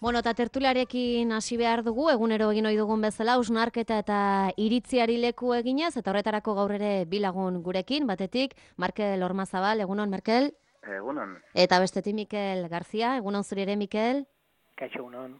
Bueno, eta tertuliarekin hasi behar dugu, egunero egin ohi dugun bezala, hausnarketa eta iritziari leku eginez, eta horretarako gaur ere bi lagun gurekin, batetik, Markel Ormazabal, egunon, Markel? Egunon, Eta bestetik Mikel Garzia, egunon zuri ere, Mikel? Kaixo egunon.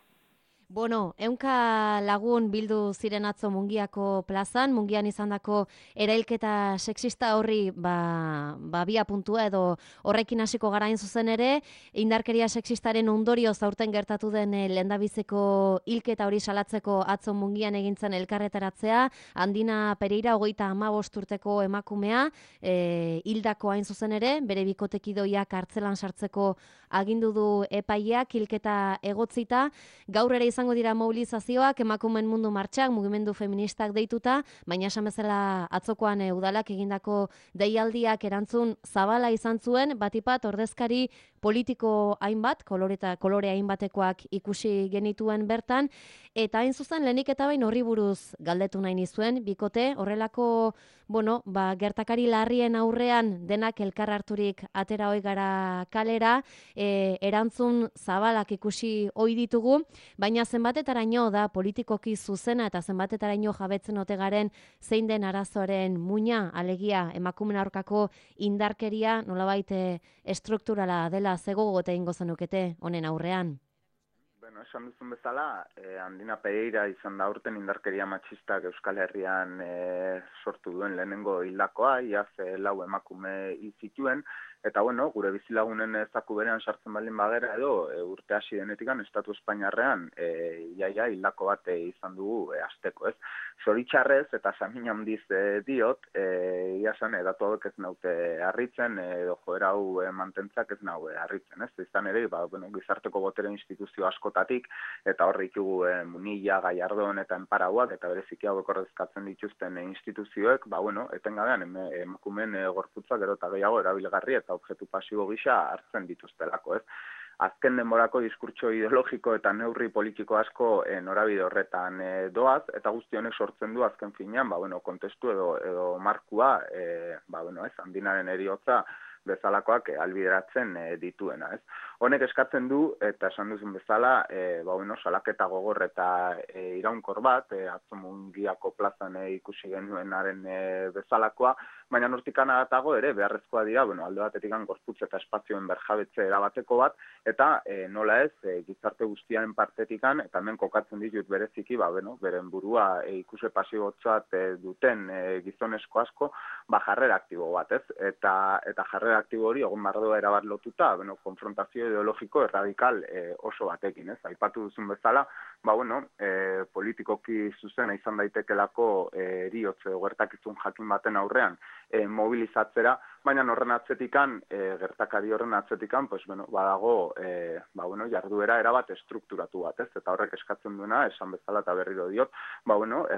Bueno, ehunka lagun bildu ziren atzo Mungiako plazan, Mungian izandako erailketa sexista horri bia puntua edo horrekin hasiko gara hain zuzen ere, indarkeria sexistaren ondorioz aurten gertatu den lehendabiziko hilketa hori salatzeko atzo Mungian egintzen elkarretaratzea, Andina Pereira 35 urteko emakumea, hildako hain zuzen ere, bere bikotekidoiak kartzelan sartzeko agindu du epaileak hilketa egotzita, gaur ere izango dira mobilizazioak, emakumeen mundu martxak, mugimendu feministak deituta, baina esan bezala atzokoan udalak egindako deialdiak erantzun zabala izan zuen, batipat ordezkari politiko hainbat, kolore hainbatekoak ikusi genituen bertan, eta hain zuzen lehenik eta bain horri buruz galdetu nahi nizuen, bikote, horrelako, gertakari larrien aurrean denak elkar harturik atera hoi gara kalera, erantzun zabalak ikusi ohi ditugu, baina zenbatetaraino da politikoki zuzena eta zenbatetaraino jabetzen ote garen zein den arazoaren muina, alegia emakumeen aurkako indarkeria nolabait estrukturala dela zegogote egingo zenukete honen aurrean. Bueno, esan duzun bezala, Andina Pereira izan da urten indarkeria matxistak Euskal Herrian sortu duen lehenengo hildakoa, iaz 4 emakume hil zituen, eta bueno, gure bizilagunen zaku berean sartzen baldin bagera edo urte hasi denetikan Estatu Espainiarrean iaia hildako bat izan dugu asteko, ez? Zoritxarrez eta samin handiz diot, ia esan datu hauek ez naute harritzen edo joera hau mantentzak ez naute harritzen, ez? Izan ere, gizarteko botere instituzio askotatik eta horrik dugu Munilla, Gallardón eta Enparauak eta bereziki hauek ordezkatzen dituzten instituzioek, etengabean emakumeen gorputza gero eta gehiago erabilgarri eta objektu pasibo gisa hartzen dituztelako, ez? Azken denborako diskurtso ideologiko eta neurri politiko asko norabide horretan doaz, eta guzti honek sortzen du azken finean, kontestu edo markua, Andinaren heriotza bezalakoak albideratzen dituena, ez? Honek eskatzen du, eta esan duzun bezala, salaketa gogor eta iraunkor bat, atzo Mungiako plazan ikusi genuenaren bezalakoa, baina nortikan adatago ere beharrezkoa dira, alde batetik gorputz eta espazioen berjabetze erabateko bat, eta nola ez, gizarte guztiaren partetikan, eta hemen kokatzen ditut bereziki, beren burua ikuse pasibotzat duten gizonezko asko, jarrera aktibo bat, ez? Eta jarrera aktibo hori egon bardoa erabat lotuta, konfrontazio ideologiko erradikal oso batekin, ez? Aipatu duzun bezala, politikoki zuzena izan daitekelako heriotze gertakizun jakin baten aurrean mobilizatzera, baina horren atzetikan, gertakari horren atzetikan, badago jarduera erabat estrukturatu bat, ez? Eta horrek eskatzen duena, esan bezala eta berriro diot,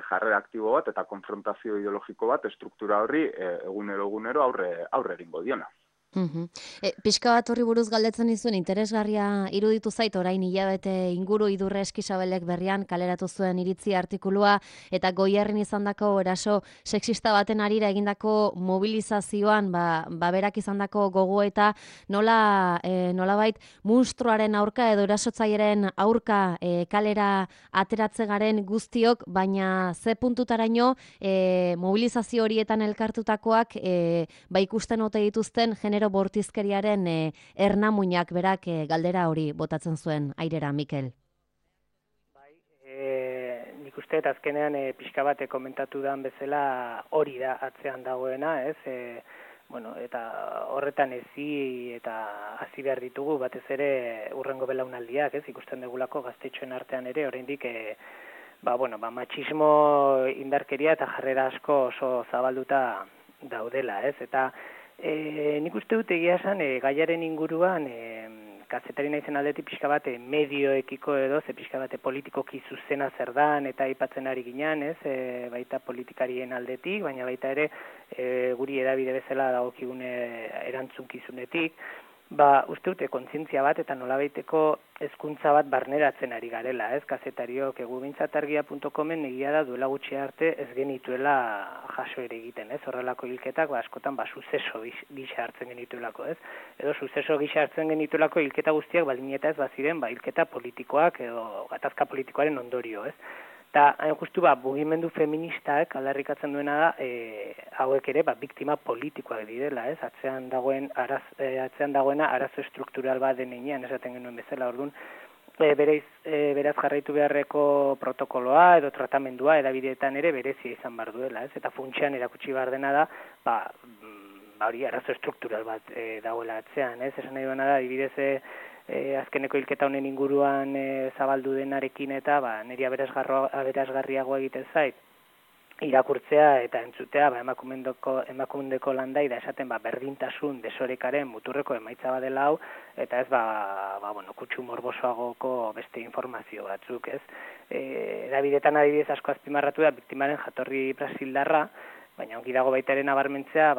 jarrera aktibo bat eta konfrontazio ideologiko bat estruktura horri egunero aurre egingo diona. Pixka bat horri buruz galdetzen dizuen interesgarria iruditu zait orain hilabete inguru Idurre Eskizabelek berrian kaleratu zuen iritzi artikulua eta Goierrin izandako eraso sexista baten harira egindako mobilizazioan berak izandako gogoeta nolabait munstruaren aurka edo erasotzaileren aurka kalera ateratze garen guztiok, baina ze puntutaraino mobilizazio horietan elkartutakoak ikusten ote dituzten genero bortizkeriaren ernamuinak berak galdera hori botatzen zuen airera, Mikel. Nik uste eta azkenean pixka bat komentatu dan bezala hori da atzean dagoena, ez? Eta horretan eta hasi behar ditugu batez ere urrengo belaunaldiak, ez? Ikusten degulako gaztetxoen artean ere oraindik matxismo indarkeria eta jarrera asko oso zabalduta daudela, ez? Eta nik uste dut egia esan gaiaren inguruan kazetari naizen aldetik pixka bat medioekiko edo pixka bat politikoki zuzena zer dan eta aipatzen ari ginen, ez? Baita politikarien aldetik, baina baita ere guri edabide bezala dagokigun erantzunkizunetik. uste dute kontzientzia bat eta nolabaiteko hezkuntza bat barneratzen ari garela, ez? Kazetariok egubintzatargia.comen egia da duela gutxi arte ez genituela jaso ere egiten, ez? Horrelako hilketak askotan suzeso gisa hartzen genituelako, ez? Edo suzeso gisa hartzen genituelako hilketa guztiak baldin eta ez baziren hilketa politikoak edo gatazka politikoaren ondorio, ez? Eta, justu, mugimendu feministak aldarrikatzen duena da, hauek ere, biktima politikoak direla, ez? Atzean dagoena arazo estruktural bat denean, esaten genuen bezala, orduan, beraz jarraitu beharreko protokoloa edo tratamendua edabideetan ere berezia izan behar duela, ez? Eta funtsean erakutsi behar dena da, hori arazo estruktural bat dagoela atzean, ez? Esan nahi duena da, adibidez, azkeneko hilketa honen inguruan zabaldu denarekin eta niri aberasgarriagoa egiten zait irakurtzea eta entzutea emakundeko landaida esaten berdintasun desorekaren muturreko emaitza badela hau eta ez kutsu morbosoagoko beste informazio batzuk, ez? Edabidetan adibidez asko azpimarratu da biktimaren jatorri brasildarra, baina ongi dago baita ere nabarmentzea,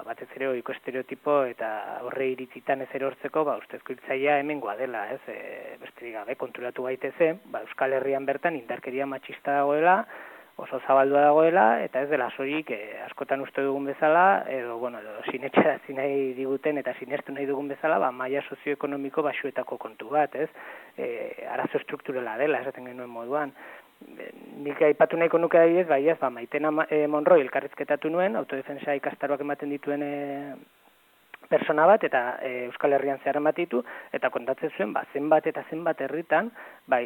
batez ere ohiko estereotipo eta horre iritzitan ez erortzeko, ustezko hiltzailea hemengoa dela, ez? Besterik gabe konturatu gaitezen, Euskal Herrian bertan indarkeria matxista dagoela, oso zabaldua dagoela, eta ez dela soilik askotan uste dugun bezala, edo sinetxerazi nahi diguten eta sinestu nahi dugun bezala, maila sozioekonomiko baxuetako kontu bat, ez? Arazo estrukturala dela, esaten genuen moduan. Nik aipatu nahiko nuke adibidez, Maitena Monroy elkarrizketatu nuen, autodefensa ikastaroak ematen dituen persona bat, eta Euskal Herrian zehar ditu, eta kontatzen zuen, zenbat eta zenbat herritan,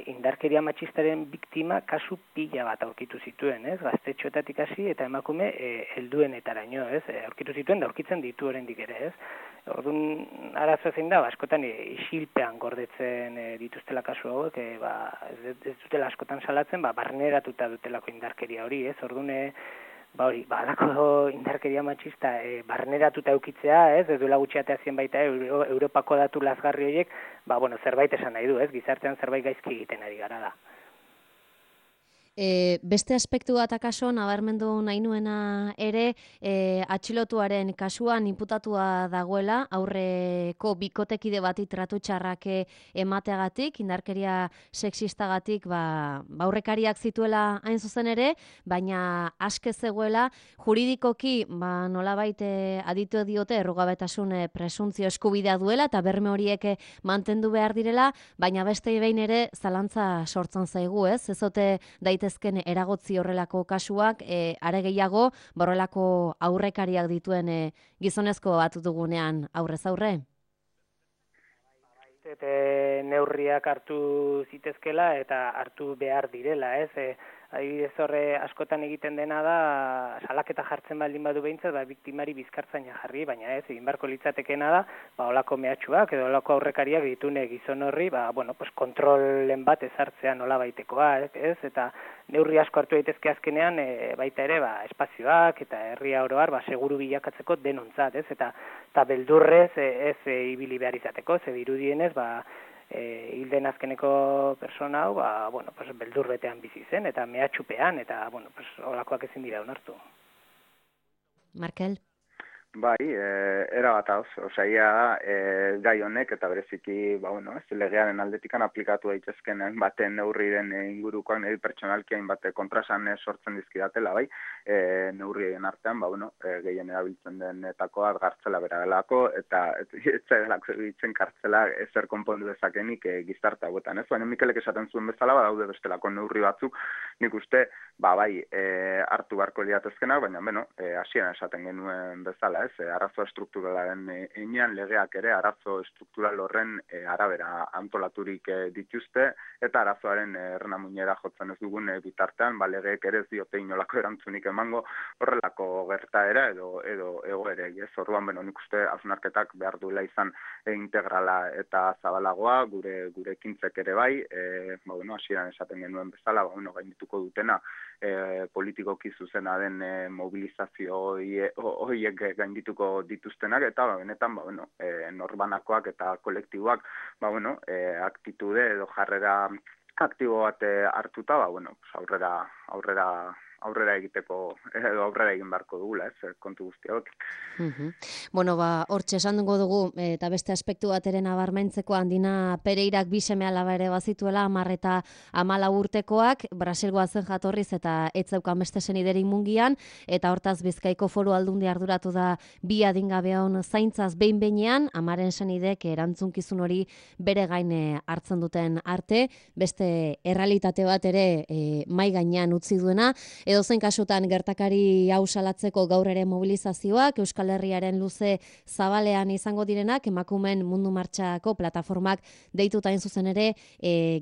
indarkeria matxistaren biktima kasu pila bat aurkitu zituen, ez? Gaztetxoetatik hasi eta emakume helduenetaraino, ez? Aurkitu zituen da aurkitzen ditu oraindik ere, ez? Orduan, arazo zein da, askotan isilpean gordetzen dituztela kasu hauek, ez dutela askotan salatzen, barneratuta dutelako indarkeria hori, ez? Orduan, alako indarkeria matxista barneratuta eukitzea, ez? Ez duela gutxiatea zien baita Europako datu lazgarri horiek, zerbait esan nahi du, ez? Gizartean zerbait gaizki egiten ari gara da. Beste aspektu bat akaso, nabarmendu nahi nuena ere, atxilotuaren kasuan inputatua dagoela, aurreko bikotekide bati tratu txarrak emateagatik, indarkeria sexistagatik, aurrekariak zituela hain zuzen ere, baina aske zegoela, juridikoki, nolabait aditu diote errugabetasun presuntzio eskubidea duela, eta berme horiek mantendu behar direla, baina beste behin ere zalantza sortzen zaigu, ez? Ezote daitezken eragotzi horrelako kasuak, are gehiago, horrelako aurrekariak dituen gizonezko bat dugunean aurrez aurre? Neurriak hartu zitezkela eta hartu behar direla, ez? Adibidez horre askotan egiten dena da, salaketa jartzen baldin badu behintzat, biktimari bizkartzaina jarri, baina ez, egin barko litzatekena da, olako mehatxuak edo olako aurrekariak ditune gizon horri, kontrolen bat ezartzea nola baitekoa, ez? Eta neurri asko hartu daitezke azkenean, baita ere, espazioak eta herria oro har, seguru bilakatzeko denontzat, ez? Eta beldurrez, ez ibili behar izateko, ze dirudienez, hilden azkeneko persona hau, beldur betean bizi zen, eta mehatxupean, eta, olakoak ezin dira onartu. Markel? Bai, erabat osaia da, gai honek eta bereziki, legearen aldetikan aplikatu daitezken baten neurriren ingurukoak niri pertsonalki hainbat kontrasan sortzen dizkidatela, neurrien artean, gehien erabiltzen denetakoa gartzela bera delako, eta ez delako egiten kartzela ezer konpondu dezakenik gizarte hauetan, ez? Baina Mikelek esaten zuen bezala, daude bestelako neurri batzuk, nik uste, hartu beharko liatezkenak, baina, hasieran esaten genuen bezala, arazo estrukturalaren enean legeak ere arazo estruktural horren arabera antolaturik dituzte eta arazoaren ernamuinera jotzen ez dugun bitartean, legeek ere ez diote inolako erantzunik emango horrelako gertaera edo egoerei, ez? Orduan, nik uste hausnarketak behar duela izan integrala eta zabalagoa, gure ekintzek ere bai, hasieran esaten genuen bezala, gaindituko dutena politikoki zuzena den mobilizazio horiek gaindituko dituztenak, eta benetan, norbanakoak eta kolektiboak, aktitude edo jarrera aktibo bat hartuta, aurrera aurrera egiteko, edo aurrera egin beharko dugula, kontu guzti hauek. Bueno, hortxe esan dugu, eta beste aspektu bateren abarmentzeko Andina Pereirak bi seme-alaba ere bazituela, 10 eta 14 urtekoak, Brasilgoa zen jatorriz eta ez zeukan beste seniderik mungian, eta hortaz Bizkaiko Foru Aldundi arduratu da bi adingabeon zaintzaz behin-behinean, amaren senidek erantzunkizun hori bere gain hartzen duten arte, beste errealitate bat ere mai gainean utzi duena, edozein kasutan gertakari hau salatzeko gaur ere mobilizazioak, Euskal Herriaren luze zabalean izango direnak, emakumeen mundu martxako plataformak deituta hain zuzen ere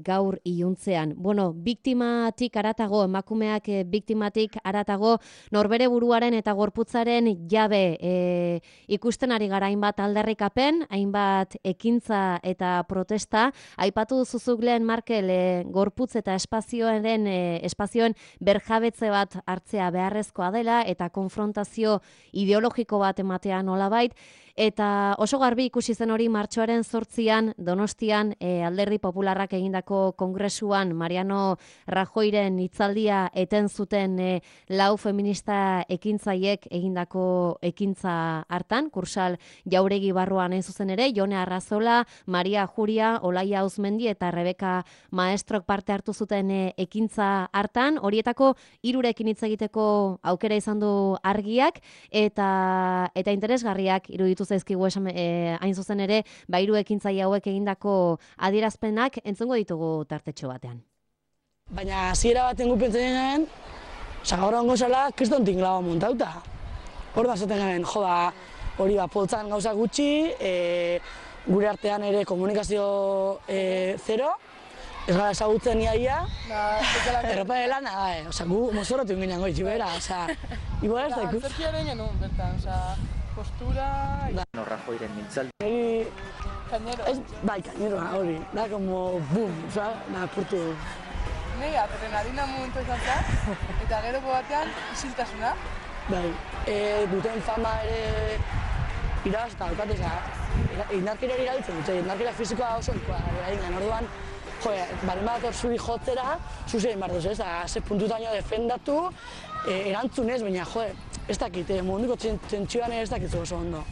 gaur iluntzean. Bueno, biktimatik aratago, emakumeak biktimatik aratago, norbere buruaren eta gorputzaren jabe ikusten ari gara hainbat aldarrikapen, hainbat ekintza eta protesta, aipatu duzuzuk lehen Markel gorputz eta espazioen berjabetze bat hartzea beharrezkoa dela eta konfrontazio ideologiko bat ematea nolabait, eta oso garbi ikusi zen hori martxoaren 8an Donostian Alderdi Popularrak egindako kongresuan Mariano Rajoyren hitzaldia eten zuten 4 feminista ekintzaiek egindako ekintza hartan, Kursal Jauregi barruan hain zuzen ere, Jone Arrazola, Maria Juria, Olaia Uzmendi eta Rebeka Maestrok parte hartu zuten ekintza hartan, horietako 3rekin hitz egiteko aukera izan du Argiak, eta interesgarriak iruditu zaizkigu hain zuzen ere, 3 ekintzaile hauek egindako adierazpenak entzungo ditugu tartetxo batean. Baina hasiera baten gupentzen garen, gaur ongo zela, kriston tinglaba montauta. Hor da zaten garen, hori poltzan gauza gutxi, gure artean ere komunikazio zero, ez gara ezagutzen iaia, erropa de lana, gu mozorratu inginan goitxu bera, igual ez da ikus. Zerkiaren genuen, bertan, postura... Rajoyren mintzaldi. Kainero. Bai, kaineroa, hori, da como boom, da purtu. Nei, adrenalina momentu izan zen, eta geroko batean isiltasuna. Bai, duten fama ere irabaz eta daukate, indarkeria erabiltzen dute, indarkeria fizikoa oso egin orduan, baren bat hor zuri jotzera, zuzein behar duz, ze puntutaino defendatu, erantzunez, baina, ez dakit, munduko txentxioan ez dakit oso ondo.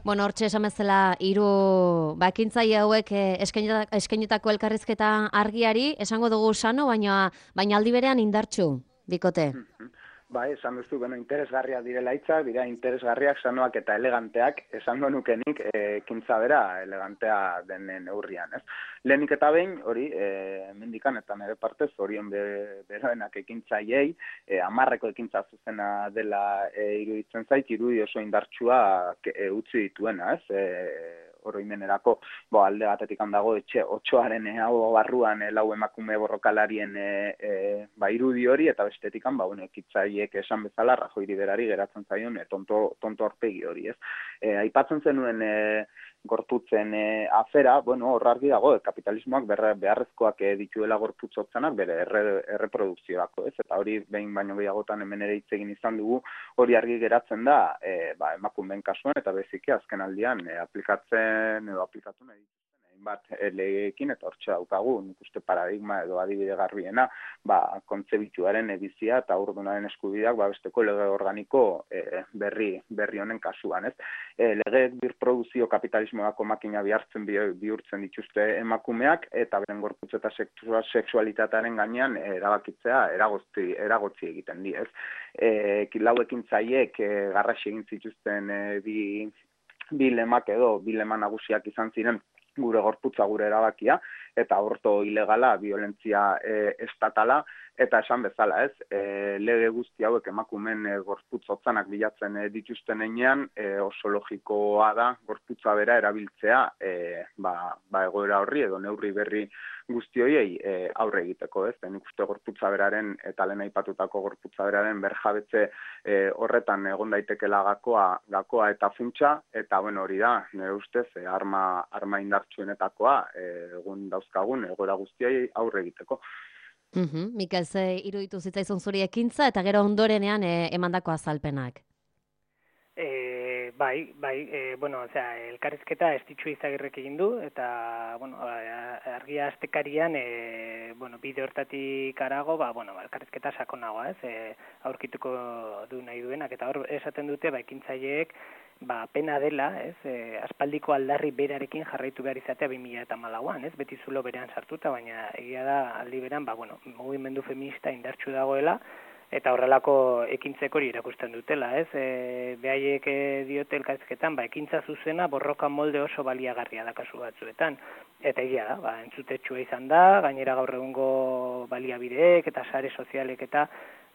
Bueno, hortxe esan bezala 3 ekintzaile hauek eskainitako elkarrizketa Argiari, esango dugu sano, baina aldi berean indartsu, bikote. Bai, esan duzu, interesgarriak direla hitzak, dira interesgarriak, sanoak eta eleganteak, esango nukenik ekintza bera elegantea den neurrian, ez? Lehenik eta behin, hori, mendikan eta nire partez, horien beroenak ekintzaiei, 10 ekintza zuzena dela iruditzen zait, irudi oso indartsua utzi dituena, ez? Oroimenerako, alde batetik handago etxe 8aren hau barruan 4 emakume borrokalarien irudi hori, eta bestetik ekitzaiek esan bezala Rajoyri berari geratzen zaion tonto aurpegi hori, ez? Aipatzen zenuen gorputzen afera, hor argi dago, kapitalismoak beharrezkoak dituela gorputzotzanak bere erreprodukziorako, ez? Eta hori behin baino gehiagotan hemen ere hitz egin izan dugu, hori argi geratzen da emakumeen kasuan, eta beziki azken aldian aplikatzen edo aplikatu nahi bat legeekin, eta hortxe daukagu, nik uste paradigma edo adibide garbiena, kontzebituaren edizia eta urdunaren eskubideak besteko lege organiko berri honen kasuan, ez? Legeek birproduzio kapitalismoako makina bihurtzen dituzte emakumeak, eta beren gorputz eta sexualitatearen gainean erabakitzea eragotzi egiten di, ez? 4 ekintzaileek garrasi egin zituzten bi lemak edo bi lema nagusiak izan ziren, gure gorputza, gure erabakia, eta aborto ilegala, violentzia estatala, eta esan bezala, ez, lege guzti hauek emakumeen gorputz hotzanak bilatzen dituzten heinean, oso logikoa da gorputza bera erabiltzea, egoera horri edo neurri berri guzti horiei aurre egiteko, ez? Nik uste gorputza beraren eta lehen aipatutako gorputza beraren berjabetze horretan egon daitekela gakoa eta funtsa, eta hori da, nire ustez, arma indartsuenetakoa egun dauzkagun egoera guztiei aurre egiteko. Mikel, ze iruditu zitzaizun zuri ekintza eta gero ondorenean emandako azalpenak? elkarrizketa Estitxu Izagirrek egin du, eta, argia astekarian, bide hortatik arago, elkarrizketa sakonagoa, aurkituko du nahi duenak, eta hor esaten dute, ekintzaileek, pena dela, aspaldiko aldarri berarekin jarraitu behar izatea 2014an, beti zulo berean sartuta, baina egia da aldi beran, mugimendu feminista indartsu dagoela, eta horrelako ekintzek hori irakusten dutela, behaiek diote elkarrizketan, ekintza zuzena borroka molde oso baliagarria da kasu batzuetan, eta egia da, entzutetsua izan da, gainera gaur egungo baliabideek eta sare sozialek eta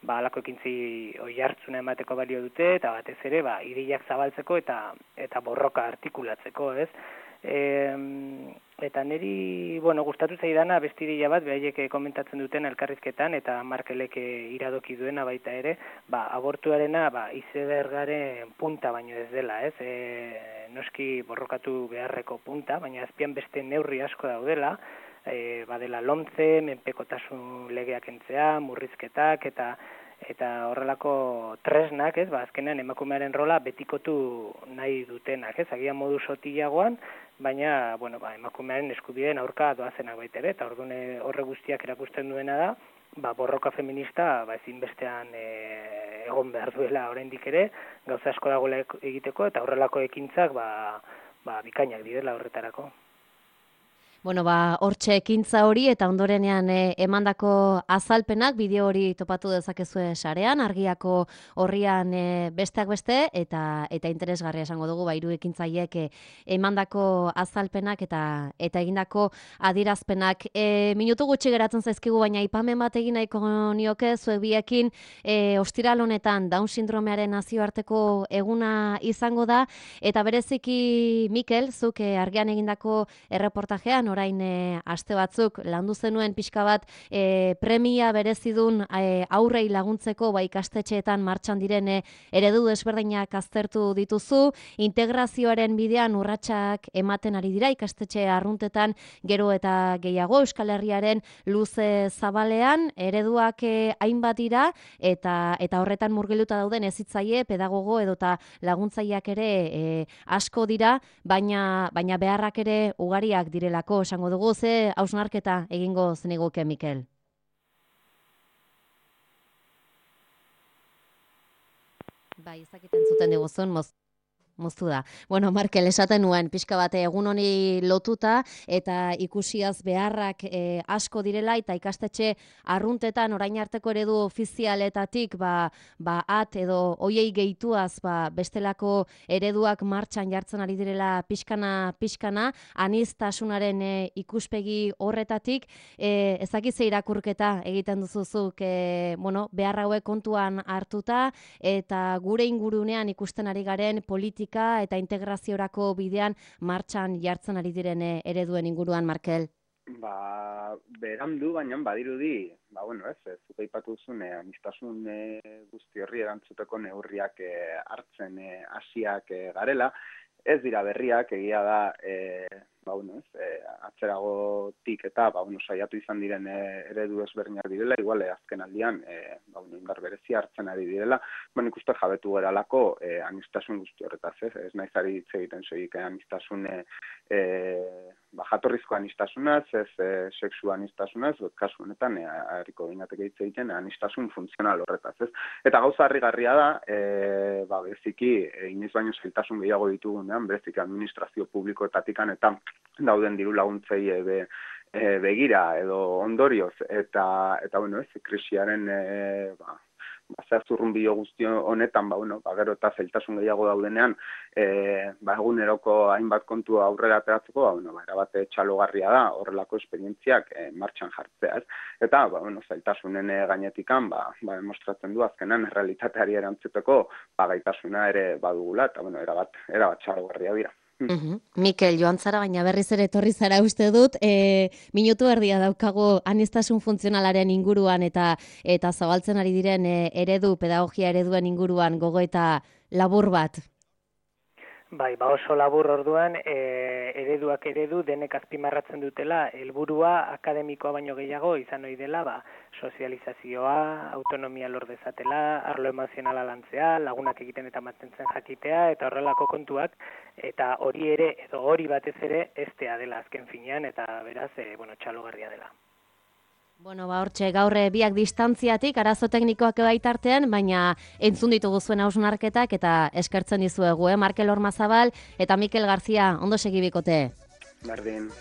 halako ekintzi oihartzuna emateko balio dute, eta batez ere, ideiak zabaltzeko eta borroka artikulatzeko, eta niri, gustatu zaidana beste ideia bat, behaiek komentatzen duten elkarrizketan, eta Markelek iradoki duena baita ere, abortuarena izebergaren punta baino ez dela, noski borrokatu beharreko punta, baina azpian beste neurri asko daudela, badela lomtze, menpekotasun legeak entzea, murrizketak, eta horrelako tresnak, azkenean emakumearen rola betikotu nahi dutenak, agian modu sotilagoan, baina, emakumearen eskubideen aurka doazenak baita ere, eta orduan horre guztiak erakusten duena da, borroka feminista ezinbestean egon behar duela oraindik ere, gauza asko dagoela egiteko, eta horrelako ekintzak bikainak direla horretarako. Hortxe ekintza hori eta ondorenean emandako azalpenak, bideo hori topatu dezakezue sarean, argiako horrian besteak beste, eta interesgarria esango dugu, hiru ekintzaileek emandako azalpenak eta egindako adierazpenak. Minutu gutxi geratzen zaizkigu, baina aipamen bat egin nahiko nioke, zuek biekin ostiral honetan Down sindromearen nazioarteko eguna izango da, eta bereziki Mikel, zuk argian egindako erreportajean, orain aste batzuk landu zenuen pixka bat premia berezidun aurrei laguntzeko ikastetxeetan martxan diren eredu desberdinak aztertu dituzu, integrazioaren bidean urratsak ematen ari dira ikastetxe arruntetan gero eta gehiago Euskal Herriaren luze zabalean, ereduak hainbat dira eta horretan murgilduta dauden hezitzaile, pedagogo edota laguntzaileak ere asko dira, baina beharrak ere ugariak direlako. Esango dugu, ze hausnarketa egingo zeniguke, Mikel? Ez dakiten zuten diguzun, moztu da. Markel, esaten nuen, pixka bate egun honi lotuta, eta ikusiaz beharrak asko direla, eta ikastetxe arruntetan orain arteko eredu ofizialetatik, at edo oiei gehituaz, bestelako ereduak martxan jartzen ari direla pixkana, aniztasunaren ikuspegi horretatik, ezakize irakurketa egiten duzuzuk, behar hauek kontuan hartuta, eta gure ingurunean ikusten ari garen politika eta integraziorako bidean martxan jartzen ari diren ereduen inguruan, Markel? Berandu, baina badirudi, zuk aipatu duzun, aniztasun guzti horri erantzuteko neurriak hartzen hasiak garela, ez dira berriak, egia da, atzeragotik eta saiatu izan diren eredu ezberdinak direla, igual azken aldian indar berezia hartzen ari direla, ikuste jabetu geralako aniztasun guzti horretaz, ez naiz ari hitz egiten soilik aniztasun jatorrizko anistasunaz, ez sexu anistasunaz, kasu honetan harriko ginateke hitz egiten anistasun funtzional horretaz, ez? Eta gauza harrigarria da, bereziki inoiz baino zailtasun gehiago ditugunean, bereziki administrazio publikoetatikan eta dauden diru laguntzei begira edo ondorioz, eta krisiaren zurrunbilo guzti honetan, gero eta zailtasun gehiago daudenean, eguneroko hainbat kontu aurrera ateratzeko, erabat txalogarria da horrelako esperientziak martxan jartzea, ez? Eta, zailtasunen gainetikan, demostratzen du azkenan errealitateari erantzuteko gaitasuna ere badugula, eta, erabat txalogarria dira. Mikel, joan zara, baina berriz ere etorri zara uste dut, minutu erdia daukagu aniztasun funtzionalaren inguruan eta zabaltzen ari diren pedagogia ereduen inguruan gogo eta labur bat. Oso labur orduan, ereduak eredu denek azpimarratzen dutela helburua akademikoa baino gehiago izan ohi dela, sozializazioa, autonomia lor dezatela, arlo emozionala lantzea, lagunak egiten eta mantentzen jakitea eta horrelako kontuak, eta hori ere edo hori batez ere estea dela azken finean eta beraz txalogarria dela. Bueno, hortxe, gaur biak distantziatik, arazo teknikoak baitartean, baina entzun ditugu zuen hausnarketak eta eskertzen dizuegu, Markel Ormazabal eta Mikel Garzia, ondo segi bikote. Berdin.